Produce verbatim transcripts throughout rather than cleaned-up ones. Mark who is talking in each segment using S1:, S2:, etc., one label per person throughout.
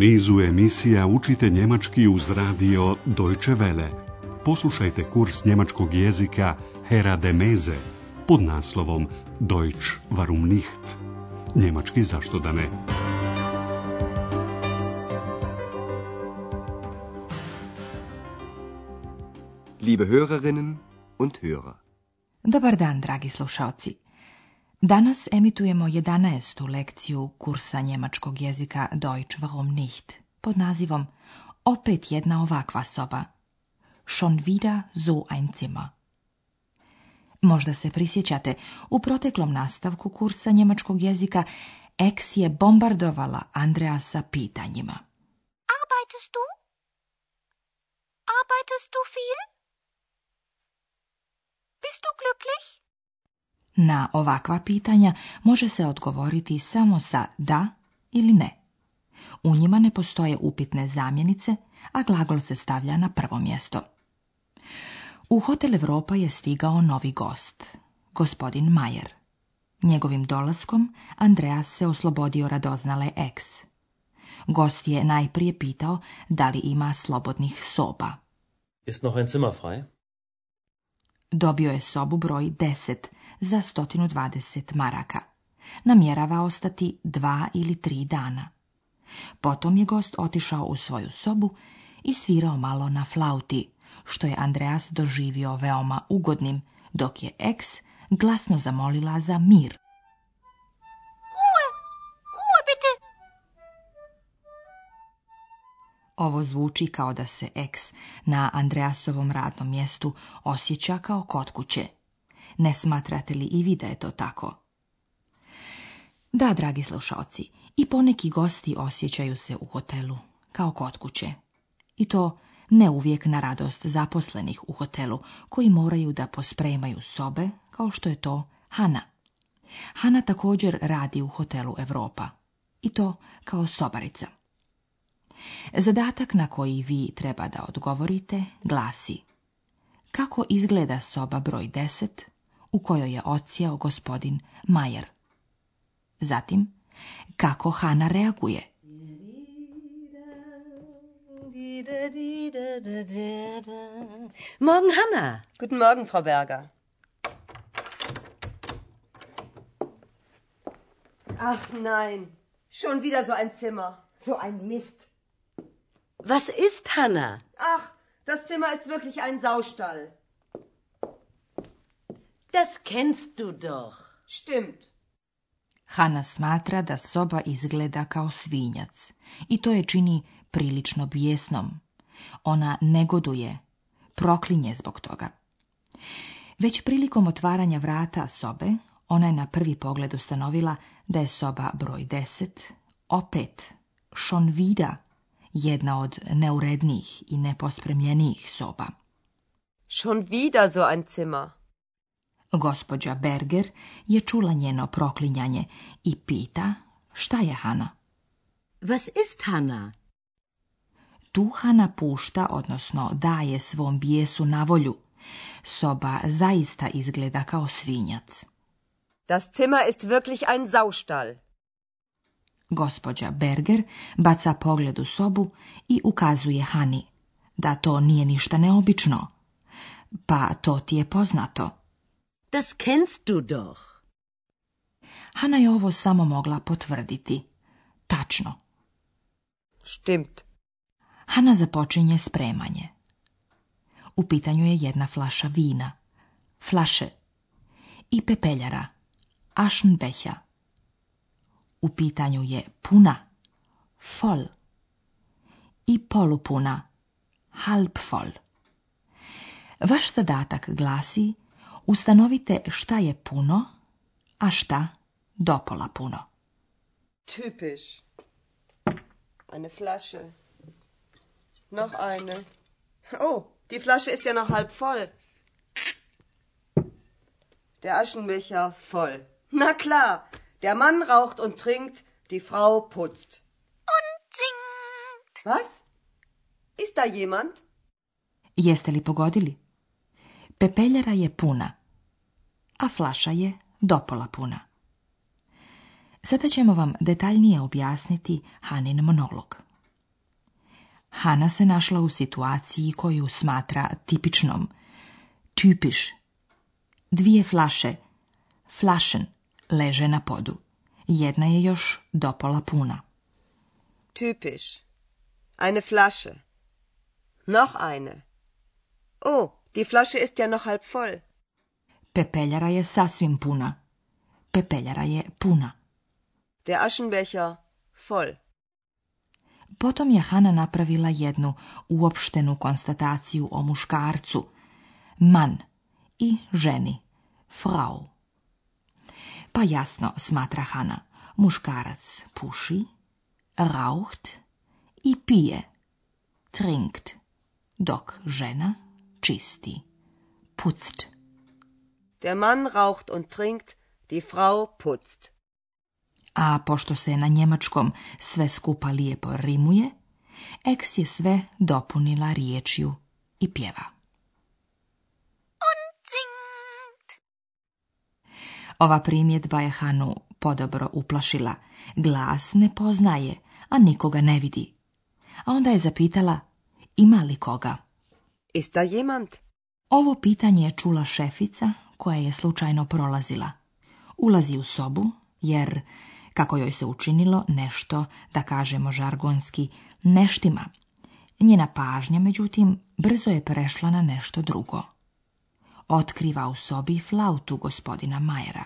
S1: nizu emisija učite njemački uz radio Deutsche Welle. Poslušajte kurs njemačkog jezika Hera de Meze pod naslovom Deutsch warum nicht? Njemački zašto da ne?
S2: Liebe Hörerinnen und Hörer.
S3: Dobar dan, dragi slušaoci. Danas emitujemo jedanaestu lekciju kursa njemačkog jezika Deutsch warum nicht pod nazivom Opet jedna ovakva soba. Schon wieder so ein Zimmer. Možda se prisjećate, u proteklom nastavku kursa njemačkog jezika Ex je bombardovala Andreasa pitanjima.
S4: Arbeitest du? Arbeitest du viel? Bist du glücklich?
S3: Na ovakva pitanja može se odgovoriti samo sa da ili ne. U njima ne postoje upitne zamjenice, a glagol se stavlja na prvo mjesto. U Hotel Europa je stigao novi gost, gospodin Mayer. Njegovim dolaskom Andreas se oslobodio radoznale Ex. Gost je najprije pitao da li ima slobodnih soba.
S5: Ist noch ein Zimmer frei?
S3: Dobio je sobu broj deset za sto dvadeset maraka. Namjerava ostati dva ili tri dana. Potom je gost otišao u svoju sobu i svirao malo na flauti, što je Andreas doživio veoma ugodnim, dok je Ex glasno zamolila za mir.
S4: Ruhe! Ruhe, bitte!
S3: Ovo zvuči kao da se Ex na Andreasovom radnom mjestu osjeća kao kod kuće. Ne smatrate li i vi da je to tako? Da, dragi slušaoci, i poneki gosti osjećaju se u hotelu kao kod kuće. I to ne uvijek na radost zaposlenih u hotelu, koji moraju da pospremaju sobe, kao što je to Hana. Hana također radi u Hotelu Europa. I to kao sobarica. Zadatak na koji vi treba da odgovorite glasi: kako izgleda soba broj deset u kojoj je odsjeo gospodin Mayer? Zatim, kako Hana reaguje?
S6: Morgen, Hanna. Guten Morgen, Frau Berger.
S7: Ach nein, schon wieder so ein Zimmer, so ein Mist.
S6: Was ist, Hanna?
S7: Ach, das Zimmer ist wirklich ein Saustall.
S6: Das kennst du doch.
S7: Stimmt.
S3: Hana smatra da soba izgleda kao svinjac i to je čini prilično bijesnom. Ona negoduje, proklinje zbog toga. Već prilikom otvaranja vrata sobe, ona je na prvi pogled ustanovila da je soba broj deset, opet, schon wieder, jedna od neurednijih i nepospremljenijih soba.
S7: Schon wieder so ein Zimmer.
S3: Gospođa Berger je čula njeno proklinjanje i pita šta je Hana.
S6: Was ist, Hanna?
S3: Tu Hana pušta, odnosno daje svom bijesu na volju. Soba zaista izgleda kao svinjac.
S7: Das Zimmer ist wirklich ein Saustall.
S3: Gospođa Berger baca pogled u sobu i ukazuje Hani da to nije ništa neobično. Pa to ti je poznato.
S6: Das kennst du doch.
S3: Hana je ovo samo mogla potvrditi. Tačno.
S7: Stimmt.
S3: Hana započinje spremanje. U pitanju je jedna flaša vina, flaše, i pepeljara, Aschenbecher. U pitanju je puna, voll, i polupuna, halb voll. Vaš zadatak glasi: ustanovite šta je puno, a šta dopola puno.
S7: Typisch. Eine Flasche. Noch eine. Oh, die Flasche ist ja noch halb voll. Der Aschenbecher voll. Na klar, der Mann raucht und trinkt, die Frau putzt.
S4: Und singt.
S7: Was? Ist da jemand?
S3: Jeste li pogodili? Pepeljara je puna, a flaša je dopola puna. Sada ćemo vam detaljnije objasniti Hanin monolog. Hana se našla u situaciji koju smatra tipičnom. Typisch. Dvije flaše, Flaschen, leže na podu. Jedna je još dopola puna.
S7: Typisch. Eine Flasche. Noch eine. Oh, die Flasche ist ja noch halb voll.
S3: Pepeljara je sasvim puna. Pepeljara je puna.
S7: Der Aschenbecher voll.
S3: Potom je Hana napravila jednu uopštenu konstataciju o muškarcu, Mann, i ženi, Frau. Pa jasno, smatra Hana, muškarac puši, raucht i pije, trinkt, dok žena čisti, putzt.
S7: Der Mann raucht und trinkt, die Frau putzt.
S3: A pošto se na njemačkom sve skupa lijepo rimuje, Eks je sve dopunila riječju i pjeva.
S4: Und singt.
S3: Ova primjedba je Hanu podobro uplašila. Glas ne poznaje, a nikoga ne vidi. A onda je zapitala, ima li koga?
S7: Ist da jemand?
S3: Ovo pitanje je čula šefica koja je slučajno prolazila. Ulazi u sobu, jer, kako joj se učinilo, nešto, da kažemo žargonski, neštima. Njena pažnja, međutim, brzo je prešla na nešto drugo. Otkriva u sobi flautu gospodina Majera.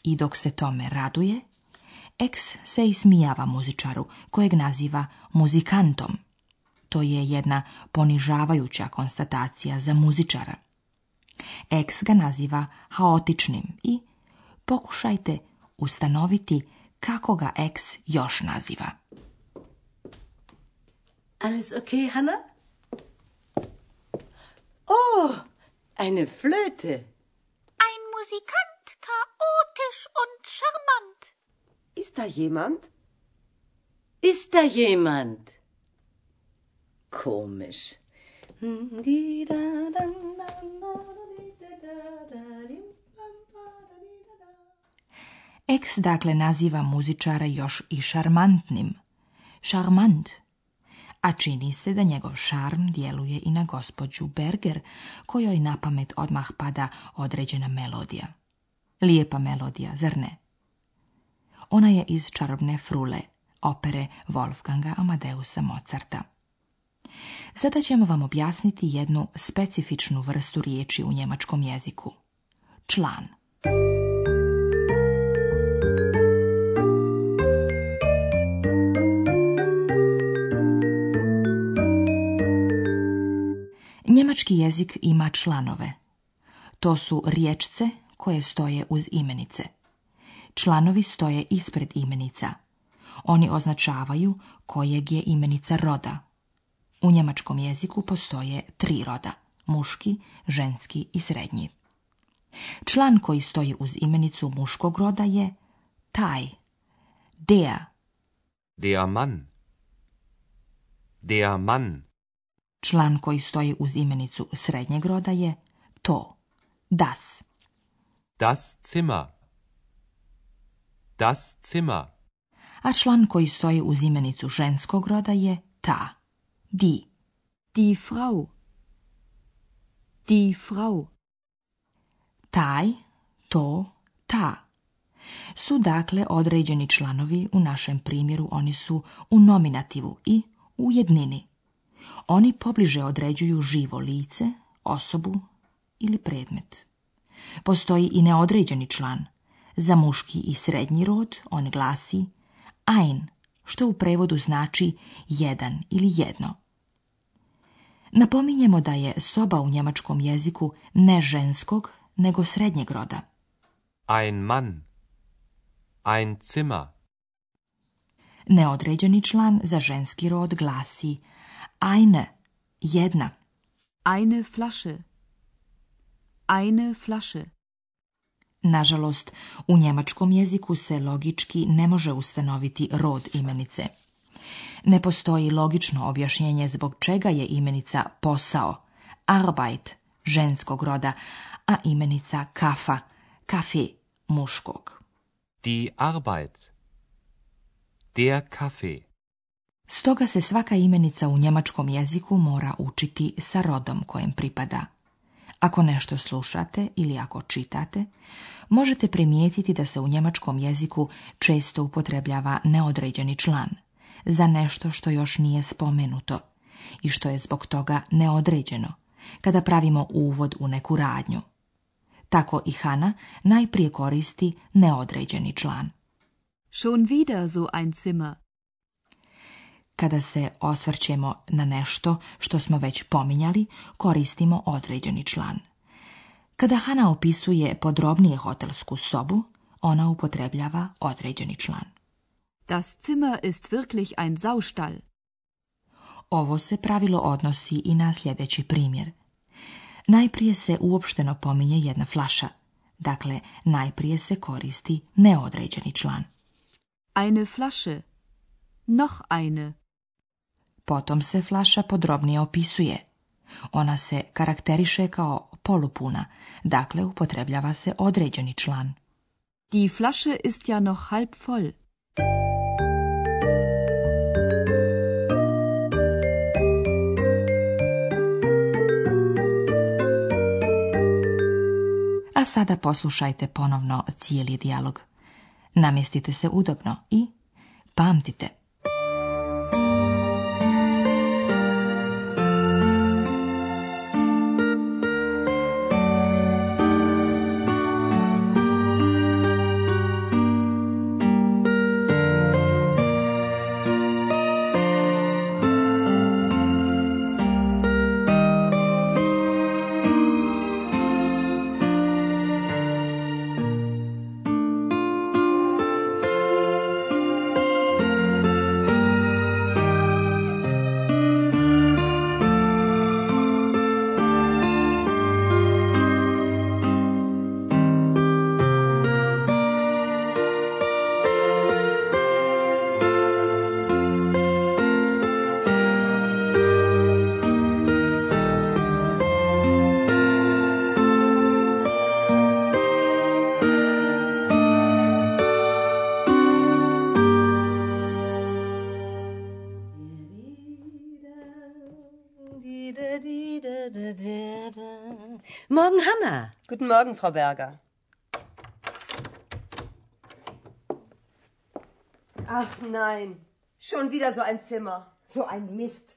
S3: I dok se tome raduje, Eks se ismijava muzičaru, kojeg naziva muzikantom. To je jedna ponižavajuća konstatacija za muzičara. Eks ga naziva haotičnim i pokušajte ustanoviti kako ga Eks još naziva.
S6: Alles okay, Hanna? Oh, eine Flöte.
S4: Ein Musikant, chaotisch und charmant.
S7: Ist da jemand?
S6: Ist da jemand? Komisch.
S3: Eks dakle naziva muzičara još i šarmantnim. Šarmant. A čini se da njegov šarm djeluje i na gospođu Berger, kojoj na pamet odmah pada određena melodija. Lijepa melodija, zar ne? Ona je iz Čarobne frule, opere Wolfganga Amadeusa Mozarta. Sada ćemo vam objasniti jednu specifičnu vrstu riječi u njemačkom jeziku. Član. Njemački jezik ima članove. To su riječce koje stoje uz imenice. Članovi stoje ispred imenica. Oni označavaju kojeg je imenica roda. U njemačkom jeziku postoje tri roda, muški, ženski i srednji. Član koji stoji uz imenicu muškog roda je taj, der.
S2: Der Mann. Der Mann.
S3: Član koji stoji uz imenicu srednjeg roda je to, das.
S2: Das Zimmer. Das Zimmer.
S3: A član koji stoji uz imenicu ženskog roda je ta, die.
S8: Die Frau. Die Frau.
S3: Taj, to, ta. Su dakle određeni članovi, u našem primjeru oni su u nominativu i u jednini. Oni pobliže određuju živo lice, osobu ili predmet. Postoji i neodređeni član. Za muški i srednji rod on glasi ein, što u prevodu znači jedan ili jedno. Napominjemo da je soba u njemačkom jeziku ne ženskog, nego srednjeg roda.
S2: Ein Mann. Ein Zimmer.
S3: Neodređeni član za ženski rod glasi eine, jedna.
S8: Eine Flasche. Eine Flasche.
S3: Nažalost, u njemačkom jeziku se logički ne može ustanoviti rod imenice. Ne postoji logično objašnjenje zbog čega je imenica posao, Arbeit, ženskog roda, a imenica kafa, kafe, muškog.
S2: Die Arbeit. Der Kaffee.
S3: Stoga se svaka imenica u njemačkom jeziku mora učiti sa rodom kojem pripada. Ako nešto slušate ili ako čitate, možete primijetiti da se u njemačkom jeziku često upotrebljava neodređeni član za nešto što još nije spomenuto i što je zbog toga neodređeno, kada pravimo uvod u neku radnju. Tako i Hana najprije koristi neodređeni član.
S8: Schon wieder so ein Zimmer.
S3: Kada se osvrćemo na nešto što smo već pominjali, koristimo određeni član. Kada Hana opisuje podrobnije hotelsku sobu, ona upotrebljava određeni član.
S8: Das Zimmer ist wirklich ein Saustall.
S3: Ovo se pravilo odnosi i na sljedeći primjer. Najprije se uopšteno pominje jedna flaša, dakle najprije se koristi neodređeni član.
S8: Eine Flasche. Noch eine.
S3: Potom se flaša podrobnije opisuje. Ona se karakteriše kao polupuna, dakle upotrebljava se određeni član.
S8: Die Flasche ist ja noch halb voll.
S3: A sada poslušajte ponovno cijeli dijalog. Namjestite se udobno i pamtite.
S6: Morgen, Hanna.
S7: Guten Morgen, Frau Berger. Ach nein, schon wieder so ein Zimmer, so ein Mist.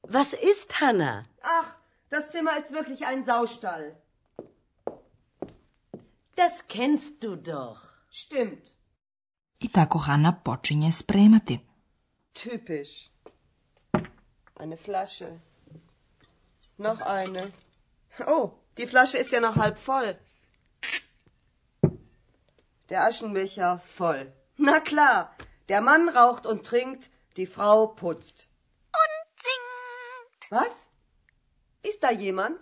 S6: Was ist, Hanna?
S7: Ach, das Zimmer ist wirklich ein Saustall.
S6: Das kennst du doch.
S7: Stimmt.
S3: I tako Hana počinje spremati.
S7: Typisch. Eine Flasche. Noch eine. Oh, die Flasche ist ja noch halb voll. Der Aschenbecher voll. Na klar, der Mann raucht und trinkt, die Frau putzt.
S4: Und singt.
S7: Was? Ist da jemand?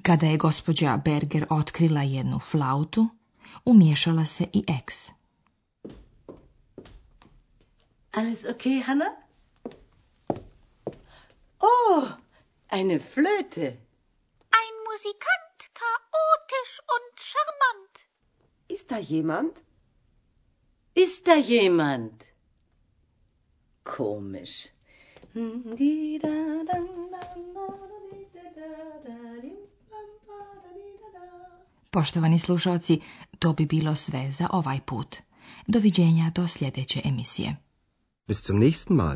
S3: Kada je gospođa Berger otkrila jednu flautu, umiješala se i eks.
S6: Alles okay, Hanna? Oh, eine Flöte.
S4: Ein Musikant, chaotisch und charmant.
S7: Ist da jemand?
S6: Ist da jemand? Komisch.
S3: Poštovani slušalci, to bi bilo sve za ovaj put. Doviđenja do sljedeće emisije.
S9: Bis zum nächsten Mal.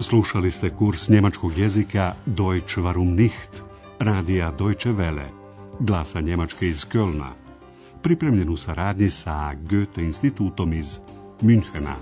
S1: Slušali ste kurs njemačkog jezika Deutsch warum nicht, radija Deutsche Welle, glasa Njemačke iz Kölna, pripremljen u saradnji sa Goethe institutom iz Münchena.